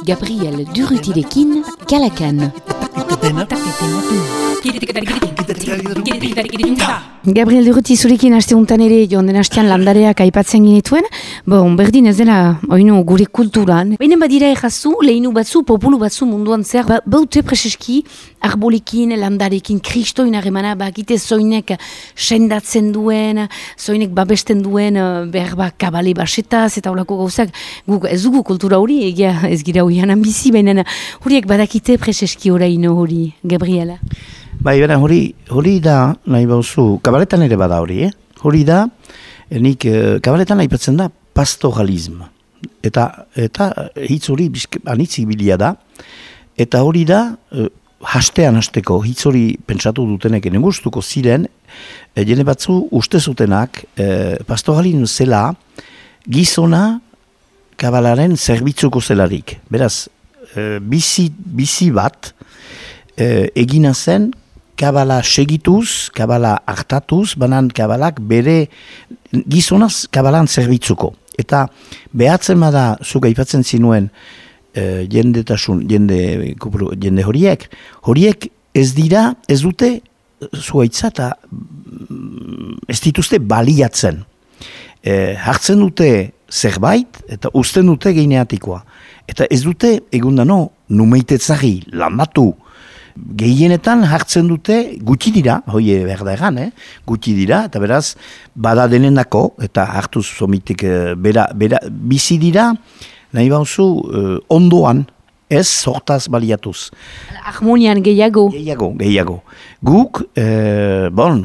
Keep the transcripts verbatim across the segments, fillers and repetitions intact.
Gabriel Durrutirekin, Kalakan. Gabriel Durruti zurekin aste untan ere joan den astean landareak aipatzen ginituen, bon, berdin ez dela oinu gure kulturan. Baina badira errazu, lehinu batzu, populu batzu munduan zer, ba, baute preseski arbolekin, landarekin, kristoin harremana, bakite zoinek sendatzen duen, zoinek babesten duen, behar ba, kabale basetaz, eta holako gauzak, guk ez dugu kultura hori, egia ez gira hoianan bizi, baina horiek badakite preseski oraino hori, Gabriela. Bai, bera, hori, hori da, nahi bauzu, kabaletan ere bada hori, eh? Hori da, nik, kabaletan aipatzen da pastoralism. Eta, eta hitz hori anitzik bilia da, eta hori da, hastean hasteko hitz hori pentsatu dutenek ene gustuko ziren, e, jene batzu uste zutenak, e, pastoralism zela, gizona kabalaren zerbitzuko zelarik. Beraz, e, bizi, bizi bat, e, egina zen, kabala segituz, kabala hartatuz, banan kabalak bere gizonaz kabalan zerbitzuko. Eta behatzen bada zuk aipatzen zinuen e, jendetasun, jende, jende horiek, horiek ez dira, ez dute zuaitza eta ez dituzte baliatzen. E, hartzen dute zerbait eta uzten dute geineatikoa. Eta ez dute egundano numeitetzahi, landatu, gehienetan hartzen dute gutxi dira, hoi behar da egan, eh? gutxi dira, eta beraz, bada denendako, eta hartuz somitik, bera, bera, bizi dira, nahi bauzu, eh, ondoan, ez sortaz baliatuz. Harmonian gehiago. Gehiago, gehiago. Guk, eh, bon,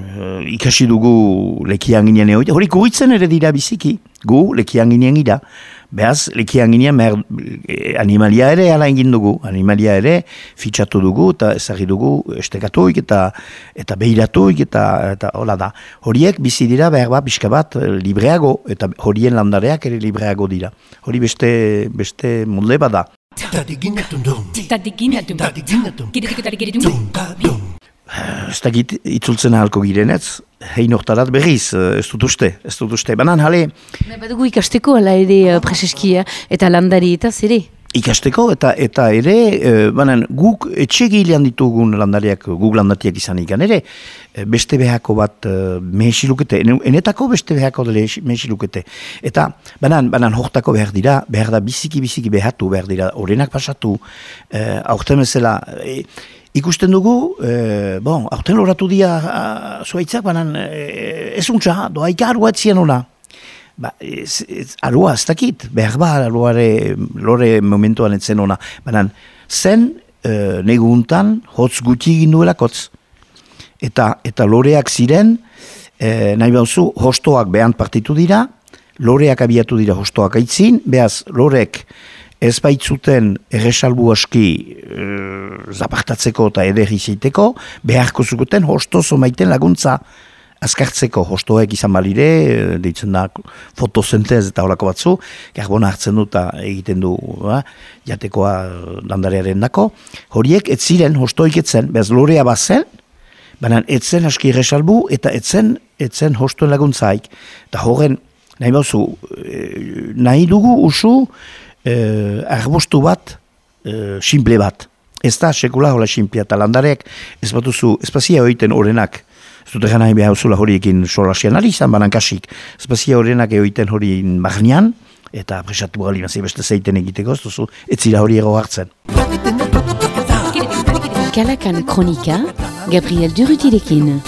ikasi dugu lekian ginen hori, hori kuritzen ere dira biziki, gu lekian ginen gira. Behaz, lekian ginean, animalia ere ala egin dugu, animalia ere fitxatu dugu, eta ezagri dugu estekatuik, eta, eta behiratuik, eta, eta hola da. Horiek bizi dira behar bat, pixka bat, libreago, eta horien landareak ere libreago dira. Hori beste, beste munde bada. Ez da git, itzultzen ahalko girenetz, hein hortarat berriz, ez dut uste, ez dut uste. Banan, hale... Badugu ikasteko, ala ere preseskia, eta landari eta zere? Ikasteko, eta eta ere, banan, guk etxegilean ditugun landariak, guk landatiak izan ikan ere, beste behako bat mehesilukete, enetako beste behako dele mehesilukete. Eta, banan, banan, hortako behar dira, behar da biziki-biziki behatu behar dira, orenak pasatu, eh, aurten bezala... Eh, Ikusten dugu, eh, bon, aurten loratu dia zuaitzak, banan eh, ez untza, doaika arua etzien ona. Ba, ez, ez, arua ez dakit, behar ba, aruare, lore momentuan etzen ona. Banan, zen eh, neguntan hotz guti egin duelakotz. Eta, eta loreak ziren, eh, nahi bauzu, hostoak behan partitu dira, loreak abiatu dira hostoak aitzin, behaz, lorek ez baitzuten erresalbu aski e, zapartatzeko eta ederri zeiteko, beharko zukuten hostozo maiten laguntza azkartzeko. Hostoek izan balire, deitzen da fotosentez eta horako batzu, karbona hartzen du eta egiten du ba, jatekoa landarearen dako. Horiek ez ziren, hostoik etzen, behaz lorea bazen, baina etzen aski erresalbu eta etzen, etzen hostoen laguntzaik. Eta horren, nahi bauzu, nahi dugu usu, Eh, arbostu bat, eh, simple bat. Ez da, sekula hola simplea, eta landareak ez batuzu, ez bazia horiten orenak, ez dut egan nahi behar zula horiekin solasian ari izan, banan kasik, ez bazia orenak horiten horien magnian, eta presatu gali nazi beste zeiten egiteko, ez duzu, ez zira hori ego hartzen. Kalakan kronika, Gabriel Durrutirekin.